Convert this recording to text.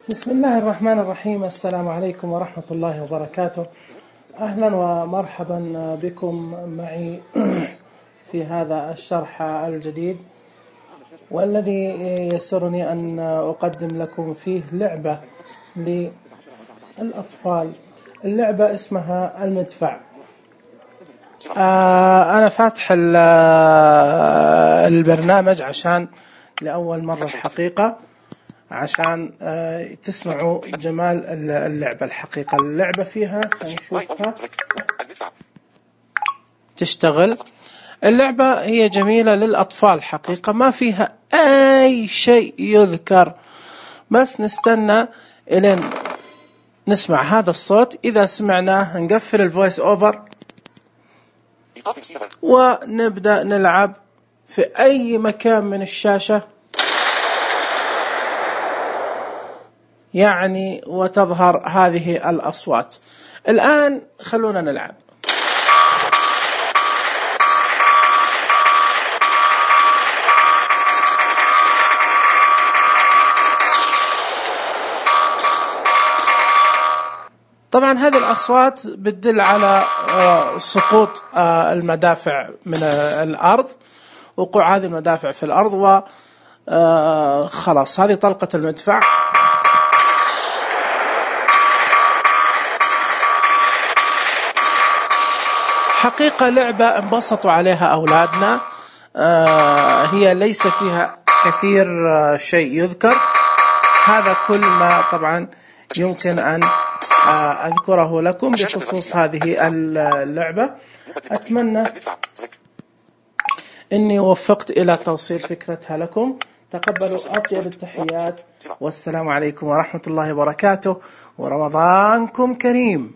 بسم الله الرحمن الرحيم. السلام عليكم ورحمة الله وبركاته. أهلا ومرحبا بكم معي في هذا الشرح الجديد، والذي يسرني أن أقدم لكم فيه لعبة للأطفال. اللعبة اسمها المدفع. أنا فاتح البرنامج عشان لأول مرة الحقيقة، عشان تسمعوا جمال اللعبة. الحقيقة اللعبة فيها هنشوفها تشتغل. اللعبة هي جميلة للأطفال حقيقة، ما فيها أي شيء يذكر، بس نستنى إلين نسمع هذا الصوت. إذا سمعناه نقفل الفويس أوفر ونبدأ نلعب في أي مكان من الشاشة يعني، وتظهر هذه الأصوات. الآن خلونا نلعب. طبعا هذه الأصوات بتدل على سقوط المدافع من الأرض، وقوع هذه المدافع في الأرض، وخلاص هذه طلقة المدفع. حقيقة لعبة انبسطوا عليها أولادنا. هي ليس فيها كثير شيء يذكر، هذا كل ما طبعا يمكن أن أذكره لكم بخصوص هذه اللعبة. أتمنى أني وفقت إلى توصيل فكرتها لكم. تقبلوا أطيب التحيات، والسلام عليكم ورحمة الله وبركاته، ورمضانكم كريم.